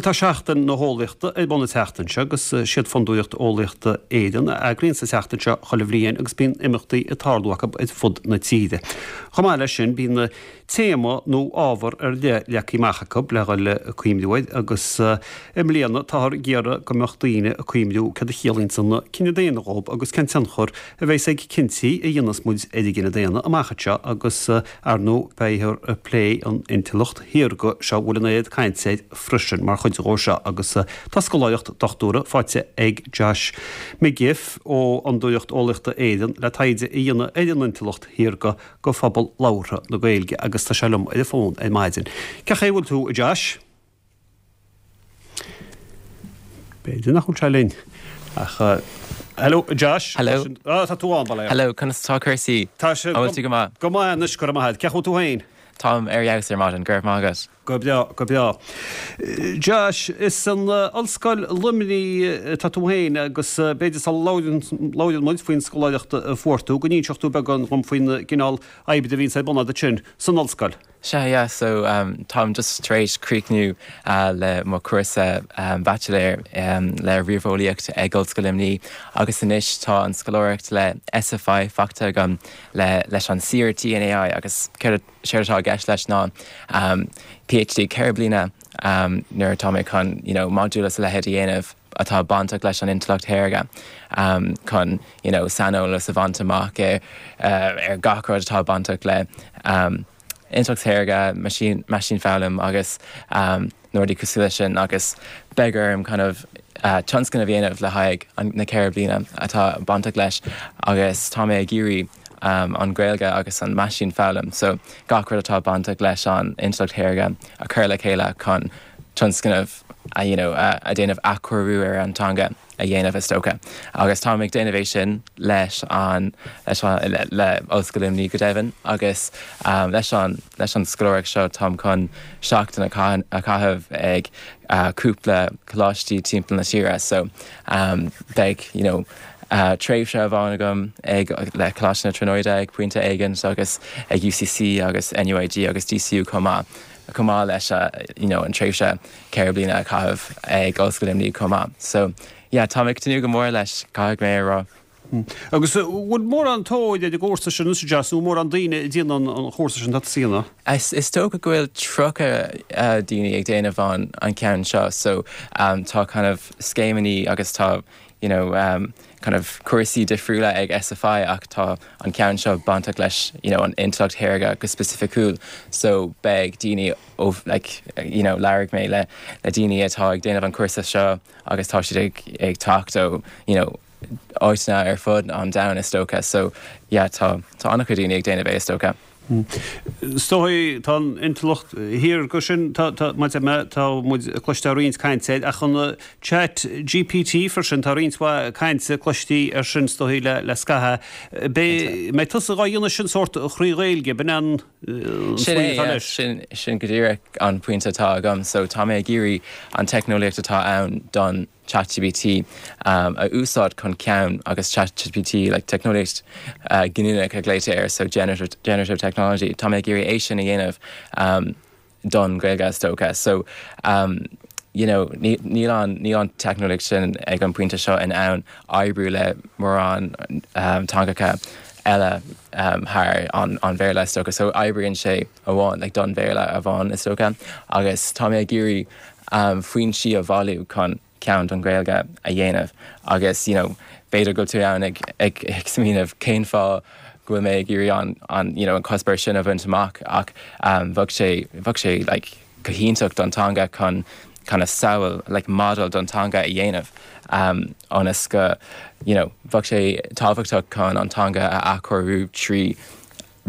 Bhuel tá Seachtain na hEolaíochta ar bun an tseachtain seo agus siad Fondúireacht Eolaíochta Éireann a eagraíonn an tseachtain seo chuile bhliain agus bíonn imeachtaí ag tarlú acu ar fud na tíre. Chomh maith leis sin bíonn téama nó ábhar ar leith leagtha amach acu le dhul ag cuimhniú air agus i mbliana táthar ag iarraidh go mbeadh daoine ag cuimhniú céard a chiallaíonns an cine daonna dhób agus cén tionchar a bheas ag cinntí a dhéanfas muid ar an gcine daonna amach anseo agus ar ndóigh beifear ag plé an intleacht shaorga seo a bhfuil an oiread cainte air freisin mar chuid dhó seo agus tá scoláireacht dochtúra faighte ag Josh McGiff ó Fhondúireacht Eolaíochta Éireann le taighde a dhéanamh ar an intleacht shaorga go phobal labhartha na Gaeilge agus tá sé liom ar an bhfón ar maidin. Cén chaoi a bhfuil tú, a Josh? B'fhéidir nach bhfuil sé linn ach Hello, Josh. Hello. Ah, tá tú ann, bail ó. Hello, conas atá cúrsaí? Tá sé An bhfuil tú go maith? Go maith anois, go raibh maith agat. Cén chaoi a bhfuil tú féin? Táim ar fheabhas ar maidin, go raibh maith agat. Go breá, go breá. Josh, is san Ollscoil Luimnigh atá tú féin agus b'fhéidir sula labhrann muid faoin scoláireacht a fuair tú, go n-inseodh tú beagán dhom faoin gcineál oibre a bhíonns ar bun agat ansin san ollscoil. Sea, yeah, so táim just tar éis críochnú le mo chúrsa baitsiléir le ríomheolaíocht ag Ollscoil Luimnigh agus anois tá an scoláireacht le SFI faighte agam le leis an CRT in AI agus céard Séard atá i gceist leis ná PhD 4 bliana nuair atá mé chun you know modúil is a leithéid a dhéanamh atá bainteach leis an intleacht shaorga chun you know saineolas a bhaint amach ar ar gach rud atá bainteach le intleacht shaorga, machine meaisínfhoghlaim agus na rudaí cosúil leis sin agus beidh orm kind of tionscnamh a dhéanamh le haghaidh na 4 bliana atá bainteach leis agus tá mé ag iarraidh an Ghaeilge agus an meaisínfhoghlaim so gach rud atá bainteach leis an intleacht shaorga a chur le chéile chun tionscnamh a you know a déanamh athchóiriú ar an teanga a dhéanamh is dócha. Agus táim ag déanamh é sin leis an leis an le le Ollscoil Luimnigh go deimhin agus leis an leis an scoláireacht seo táim chun seachtain a a chaitheamh ag cúpla coláistí timpeall na tíre so beidh you know tréimhse amháin agam ag le Coláiste na Tríonóide ag pointe éigin agus ag UCC agus NUIG agus DCU chomh maith, chomh maith leis you know an tréimhse 4 bliana a chaitheamh ag Ollscoil Luimnigh chomh maith. So yeah, táim ag tnúth go mór leis, caithfidh mé a rá. Agus an bhfuil mórán tóir ar an gcúrsa sin anois, a Josh, nó mórán daoine ag déanamh an chúrsa sin atá tusa a dhéanamh? Is dócha go bhfuil 30 daoine ag déanamh an an ceann seo so tá kind of scéimeanna agus tá you know kind of cúrsaí difriúla ag SFI ach tá an ceann seo bainteach leis you know an intleacht shaorga go specificiúil so beidh daoine ó like you know labhair mé le le daoine atá ag déanamh an cúrsa seo agus tá siad ag ag teacht ó you know áiteanna ar fud an domhain is dócha so yeah tá tá an-chuid daoine ag déanamh é is dócha. Is dóigh, tá an intleacht shaorga sin, tá, tá, mar a deir mé, tá muid ag cloisteáil roinnt cainte air, ach an Chat GPT freisin, tá roinnt mhaith cainte cloistí air sin is dóigh le, le scaitheamh. Beidh, mbeidh tusa dhá dhéanamh sin sórt thrí Ghaeilge, b'in an Sin é, yeah, sin, sin go díreach an pointe atá agam. So tá mé ag iarraidh an teicneolaíocht atá ann don ChatGPT a úsáid chun ceann agus ChatGPT like teicneolaíocht ghiniúnach a ghlaoitear air so generative generative technology tá mé ag iarraidh é sin a dhéanamh don Ghaeilge is dócha so you know níl an níl an teicneolaíocht sin ag an bpointe seo in ann oibriú le mórán teangacha eile thar an an Bhéarla is dócha so oibríonn sé amháin like don Bhéarla amháin is dócha agus tá mé ag iarraidh foinsí a bhailiú chun ceann don Ghaeilge a dhéanamh agus you know b'fhéidir go bhfuil tú ann ag ag ag smaoineamh cén fáth go bhfuil mé ag iarraidh an an you know an cuspóir sin a bhaint amach ach bheadh sé bheadh sé like go hiontach don teanga chun kind of samhail like model don teanga a dhéanamh ionas go you know bheadh sé tábhachtach chun an teanga a athchóiriú trí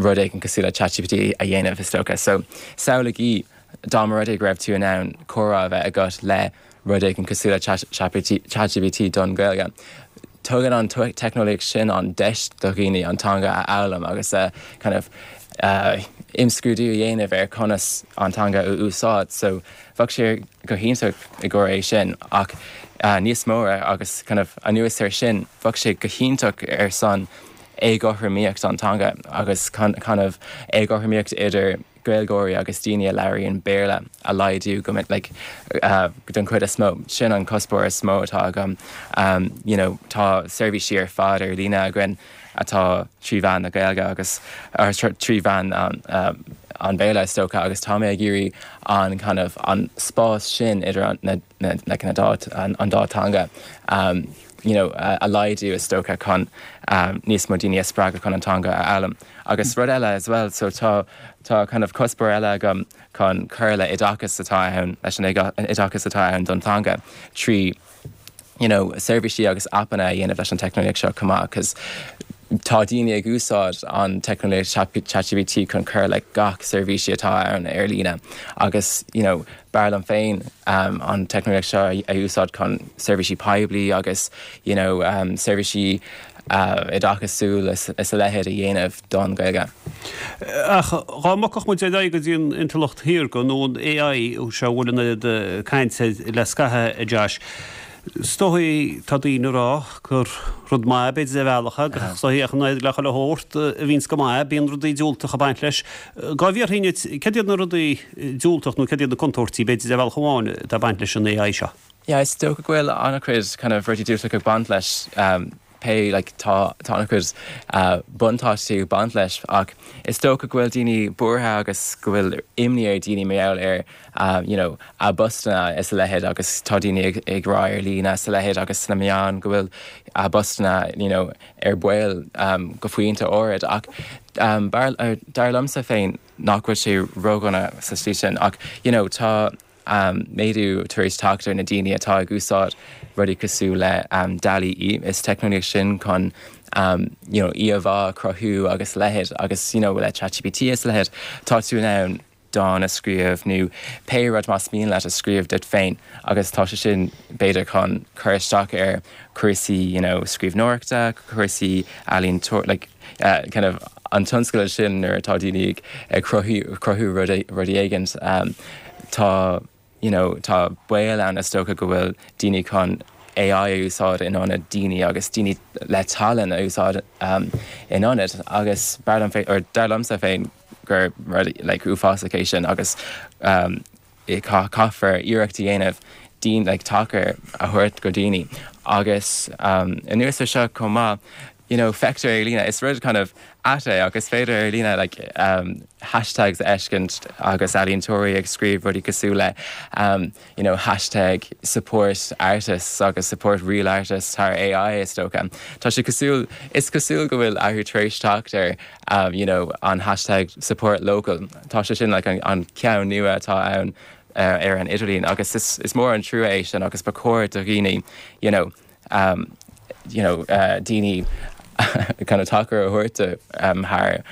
rud éigin cosúil le ChatGPT a dhéanamh, is dócha. So, samhlaigí dá mba rud é go raibh tú in ann comhrá a bheith agat le rud éigin cosúil le ChatGPT don Ghaeilge. Tugann an teicneolaíocht sin an deis do dhaoine an teanga a fhoghlaim agus a kind of imscrúdú a dhéanamh ar conas an teanga a úsáid. So, bheadh sé go hiontach i gcomhair é sin ach níos mó agus kind of anuas air sin, bheadh sé go hiontach ar son éagothromaíocht an teanga agus kind of éagothromaíocht idir. Gaeilgeoirí agus daoine a labhraíonn Béarla a laghdú go like don chuid is mó. Sin an cuspóir is mó atá agam. You know tá seirbhísí ar fad ar líne againn atá trí mheán na Gaeilge agus trí mheán an Bhéarla is dócha agus tá mé ag iarraidh an kind of an spás sin idir na like na dá an dá teanga you know a laghdú is dócha chun níos mó daoine a spreagadh chun an teanga a fhoghlaim. Agus rud eile as well so tá tá kind of cuspóir eile agam chun cur le oideachas atá ann leis an oideachas atá ann don teanga trí you know seirbhísí agus aipeanna a dhéanamh leis an teicneolaíocht seo chomh maith cos tá daoine ag úsáid an teicneolaíocht ChatGPT chun cur le gach seirbhísí atá ann ar líne agus you know b'fhearr liom féin an teicneolaíocht seo a úsáid chun seirbhísí poiblí agus you know seirbhísí oideachasúil is a leithéid a dhéanamh don Ghaeilge. Ach dá mbogfadh muid ar aghaidh go dtí an intleacht shaorga nó an AI seo a bhfuil an oiread cainte air le scaitheamh, a Josh, is dóigh, tá daoine ag rá gur rud maith b'fhéidir ar bhealach é, ach is dóigh ach an oiread le chuile shórt a bhíonns go maith, bíonn rudaí diúltacha ag baint leis. Dá bhfiafróinn díot, céard iad na rudaí diúltach nó céard iad na contúirtí b'fhéidir ar bhealach amháin atá ag baint leis an AI seo? Yeah, is dócha go bhfuil an-chuid kind of rudaí diúltach ag baint leis, pé like tá tá an-chuid buntáistí ag baint leis ach is dócha go bhfuil daoine buartha agus go bhfuil imní ar daoine mar gheall ar you know a bpostanna is a leithéid agus tá daoine ag ag rá ar líne is a leithéid agus sna meáin go bhfuil a bpostanna you know ar baol go pointe áirid ach dar liomsa féin nach bhfuil sé ródhona sa slí sin ach you know tá méadú tar éis teacht ar na daoine atá ag úsáid rudaí cosúil le DALL-E. Is teicneolaíocht sin chun you know íomhá a chruthú agus a leithéid agus you know le ChatGPT is a leithéid tá tú in ann dán a scríobh nó pé rud más mian leat a scríobh duit féin agus tá sé sin b'fhéidir chun cur isteach ar cúrsaí you know scríbhneoireachta, cúrsaí ealaíontóir like kind of an tionscal sin nuair atá daoine ag cruthú rudaí éigin tá you know tá baol ann is dócha go bhfuil daoine chun AI a úsáid in ionad daoine agus daoine le tallann a úsáid in ionad agus b'fhearr liom féin or dar liomsa féin gur rud like uafásach é sin agus caithfear iarracht a dhéanamh daoine like tacar a thabhairt go daoine agus anuas ar seo chomh maith you know feictear ar líne is rud kind of ait é ach is féidir ar líne like hashtags a fheiscint agus ealaíontóirí ag scríobh rudaí cosúil le you know hashtag support artists agus support real artists thar AI is dócha. Tá sé cosúil is cosúil go bhfuil athrú tar éis teacht ar you know an hashtag support local tá sé sin like an, an ceann nua atá ann uh, ar an idirlíon agus is, is mór an trua é sin agus ba chóir do dhaoine you know, um, you know, uh, daoine kind of tacar a thabhairt do um, thar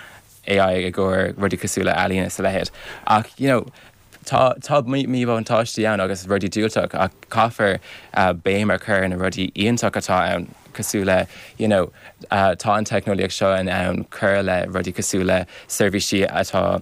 AI i gcomhair rudaí cosúil le ealaín is a leithéid. Ach you know, Tá tá míbhuntáistí ann agus rudaí diúltach ach caithfear béim a chur ar na rudaí iontach atá ann cosúil le you know tá an teicneolaíocht seo in ann cur le rudaí cosúil le seirbhísí atá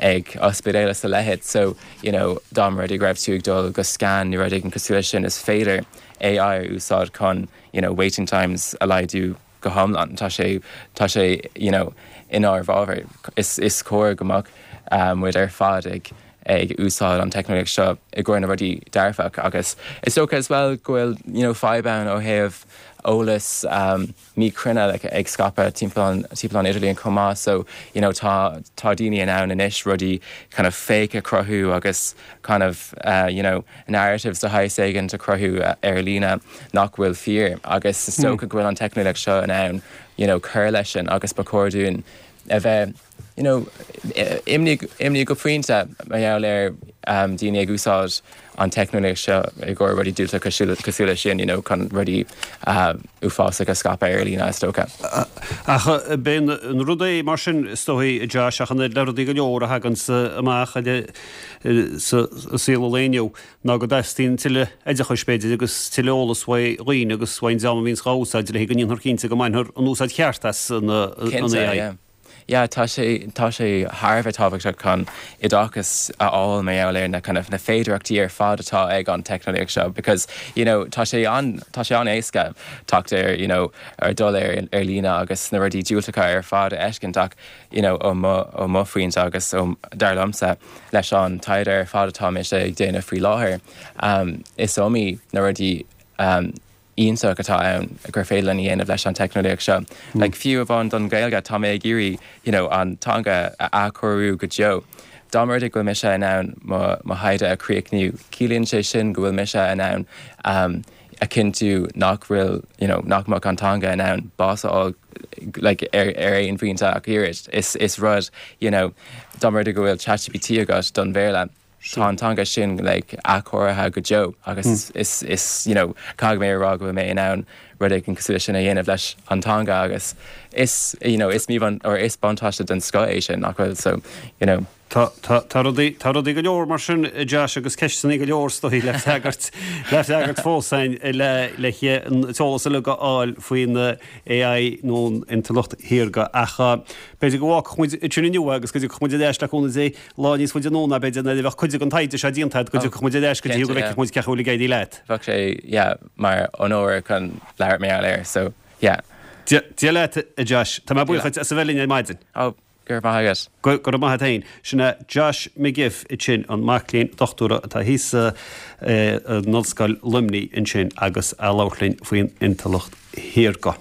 ag ospidéil is a leithéid so you know dá mba rud é go raibh tú ag dul go scan nó rud éigin cosúil leis sin is féidir AI a úsáid chun you know waiting times a laghdú go hiomlán. Tá sé, tá sé, you know, inár bhfabhar. Is, is cóir go mbeadh muid ar fad ag, ag úsáid an teicneolaíocht seo i gcomhair na rudaí dearfach agus is dócha as well go bhfuil, you know, fadhb ann ó thaobh eolas míchruinne like ag scaipeadh timpeall an, timpeall an idirlíon chomh maith so, you know, tá, tá daoine in ann anois rudaí kind of fake a chruthú agus kind of, you know, narratives de shaghas éigin a chruthú ar líne nach bhfuil fíor agus is dócha go bhfuil an teicneolaíocht seo in ann you know cur leis sin agus ba chóir dúinn a bheith you know imní imní go pointe mar gheall ar daoine ag úsáid an teicneolaíocht seo i gcomhair rudaí diúltach cosúil cosúil leis sin you know chun rudaí uafásacha a scaipeadh ar líne is dócha. Ach b'é an rud é mar sin is dóigh Josh ach an oiread le rudaí go leor a thaganns amach sa saol an lae inniu ná go dteastaíonn tuilleadh oideachais, b'fhéidir, agus tuilleadh eolas uaidh dhaoine agus uaidh an dream a bhíonns dhá úsáid le go ndéanfar cinnte go mbainfear an úsáid cheart as an Cinnte, AI. yeah. yeah tá sé tá sé thar a bheith tábhachtach chun oideachas a fháil mar gheall ar na kind of na féidearthachtaí ar fad atá ag an teicneolaíocht seo because you know tá sé an tá sé an-éasca teacht ar you know ar dul ar ar líne agus na rudaí diúltacha ar fad a fheiscint ach you know ó mo ó mo phointe agus ó dar liomsa leis an taighde ar fad atá mise ag déanamh faoi láthair um is iomaí na rudaí um iontach atá ann gur féidir linn a dhéanamh leis an teicneolaíocht seo. Like fiú amháin don Ghaeilge, tá mé ag iarraidh you know an teanga a athchóiriú go deo. Dá mba rud é go bhfuil mise in ann mo mo thaighde a chríochnú, ciallaíonn sé sin go bhfuil mise in ann um a chinntiú nach bhfuil you know nach mbeadh an teanga in ann bás a fháil like ar ar aon phointe ach oiread. Is is rud you know dá mba rud é go bhfuil ChatGPT agat don Bhéarla, Tá an teanga sin like athchóirithe go deo agus is is you know caithfidh mé a rá go bhfuil mé in ann rud éigin cosúil leis sin a dhéanamh leis an teanga agus is you know is míbhun or is buntáiste den scoth é sin nach bhfuil so you know. Tá tá tá rudaí tá rudaí go leor mar sin a Josh agus ceisteanna go leor is dóigh le freagairt le freagairt fós againn le le an t-eolas uilig a fháil faoin AI nó an intleacht shaorga ach b'fhéidir go bhfágfadh muid ansin inniu é agus go dtiocfadh muid ar ais le cúnamh Dé Lá níos faide anonn ná b'fhéidir nuair a bheadh cuid den taighde seo déanta agat go dtiocfadh muid ar ais go dtí go bhfeicfeadh muid cén chaoi a bhfuil ag éirí leat. Bheadh sé, yeah, mar onóir chun labhairt mar gheall air, so, yeah. Dia leat, a Josh. Tá mé buíoch duit as a bheith linn ar maidin. Oh, go raibh maith agat. Go raibh maith agat féin. Sin é Josh McGiff ansin, an mac léinn dochtúra atá thíos in Ollscoil Luimnigh ansin agus a labhairt linn faoin intleacht shaorga.